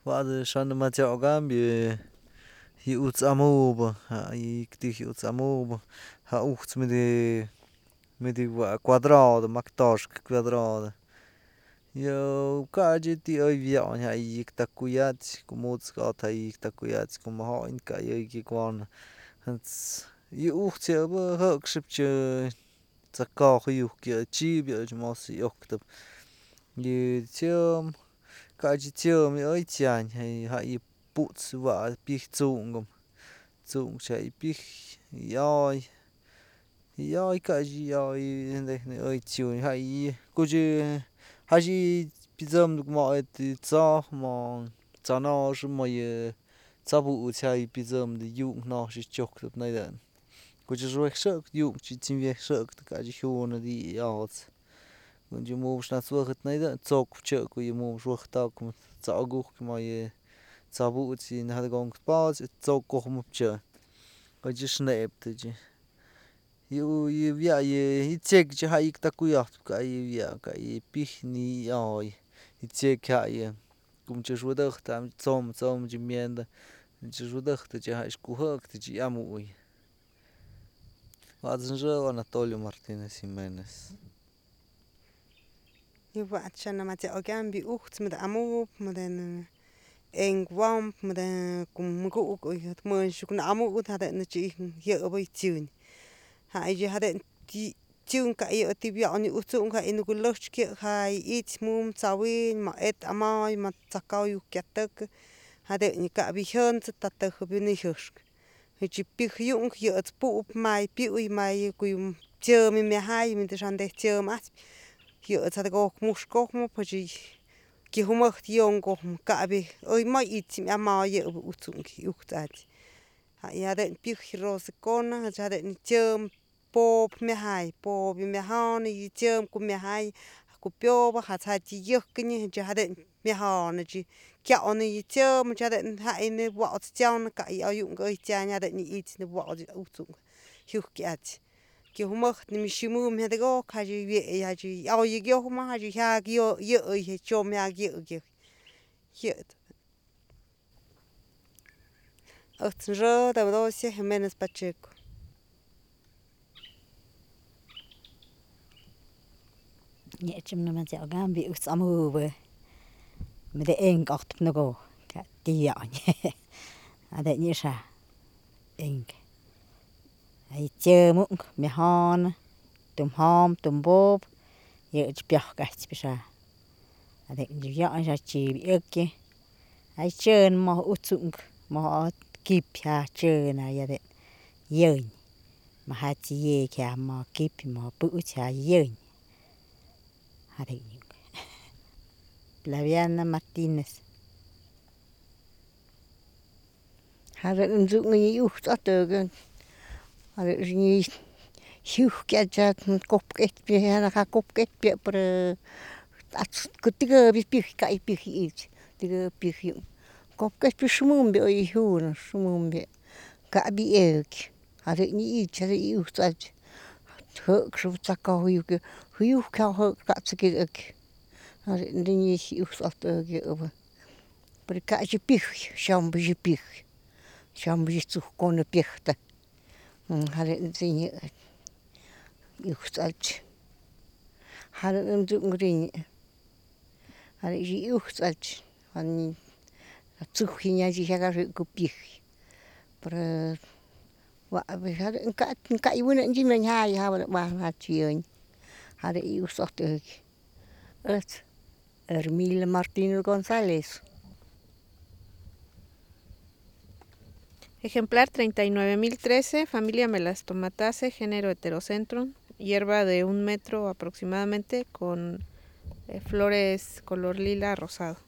Wa'ad xan matio cambio yu'uts amuba ikti yu'uts amuba ja ujts midi cuadrado mactoshk cuadrado yo cachi ti oy biaun ja takuyats comuts got ja takuyats como join ca guon yë ujt's yë bë jë'ëkxëp tsa koj juiuk chivë mos iuctëp yë chiëm cachi chiëm oy chiañ ja yë putz wa'ad pij tsunkëm ja yë pij yë oy cashi yë oy nejk oy chiuñ jashi pyësëmnëp mo tso'j mo tsonoxën mo yë tsabu'uts ja yë pyësëmnë yunk no'j chiujtëp nëyën koch xuej xë'ëk yunk t'sëm wiej xë'ëk cashi jyunëp yë ots koch mubë nat's wëjët nëyën tsokpë chë'ëk yë mubë wëjtokëm tsa'ukujky mo yë tsabu'uts yë jadëko'k po'ots tsokujmëp koch xë'ëptë yë wya yë tsyekä ja yë takuyajpë ca yë wya ca yë pij ni'iy oy yë tsyekä ja yë ko'o wyëdëjtë t'somëch myëndë wyëdëjtë ja kujë'ëktë yamuyë wa'at's xë Anatolio Martinez Jimenez. Yë wa'at xyanëmatsia okyam yë ujt's mëdë amupë mëdë e'ink womp mëdë ko'o mëku'uk mënxuk na'amut jadë'n yëbë tsyën jadë'n tsyën ca yë tibiaun yë utsu'k ja yë nugulëjt's ja yë it's mumbyë t'sawi'in ma et amoy ma tsakaw yukyatëkë jadë'n yë ka'ap yë jyëntse tatëjëp yë nëjëxkë yë pij yunk yët's pu'upë may pyuy may ko'o yë tsyëm myajay xandëj tsyëm a'axpë yët's jadëko'ok muxkojmëp kyëjumëjt yonkojmë ka'ap oy moy it's amoy yëbë utsu'k ujt's a'ax jadë'n pij rosëkona jadë'n tsyëm po'op myajay po'op yë myajonë yë tsyëm ko'o myajay ko'o pyobë jaty yëjkënyë jadë'n myajonë kyaunë yë tsyëm jadë'n jay nëb wo'ots tsanë ca yë ayunk oy tsañ jadë'n yë it's nëb wo'ots utsu'k jiujky a'ax kyëjumëjt ximëm jadëko'ok oy kyojmä jyak yëy tsyom jyak yëy ëjt's xë Teodosia Jimenez Pacheco. Yë xyanëmatsia okyam yë ujt's amubë mëdë e'ink otpë nëko'o ca tibiaun jadë'n yë xa e'ink ja yë tsyëmunk myajonë tum jombyë tum boba yëch pyojk a'axpë xa jadë'n wia'n xa chybë iëkyë tsyën moj utsu'k moj kipy ja tsyën jadë'n yëñ majaty ye'eky ja mo kipy mo pu'uty ja yëñ jadë'n yë Flaviana Martinez. Jadë'n ndsu'un yë ujt's atëgën jadë'n jiujky a'ax kupk'itpë ja kupk'itpë pero a'ax tëgëbyë pyëj ca yë pyëj ich tëgëbyë pyëj yunk kupk'itpë xëmëmbyë oy jyunëp xëmëmbyë ka'ap yë iëkyë jadë'n yë ich jadë'n yë ujt's a'ax jë'ëkxëp tsakaw juiuk ja jë'ëk kat'sëk jadë'n yë ujt's atëg yëbë pero ka'ty pyëj xyombë pyëj xyombë tsujkonë pyëjtë jadë'n yë ujt's a'ax jadë'n ndsu'unk jadë'n yë ujt's a'ax tsuj jyak arɨ'kä pyëj pero jadë'n ka'y wänä'ntyë min jay jatyë yëñ jadë'n yë ujt's atëg ëjt's Ermila Martinez González. Ejemplar 39013, familia Melastomataceae, género Heterocentrum, hierba de 1 metro aproximadamente con flores color lila rosado.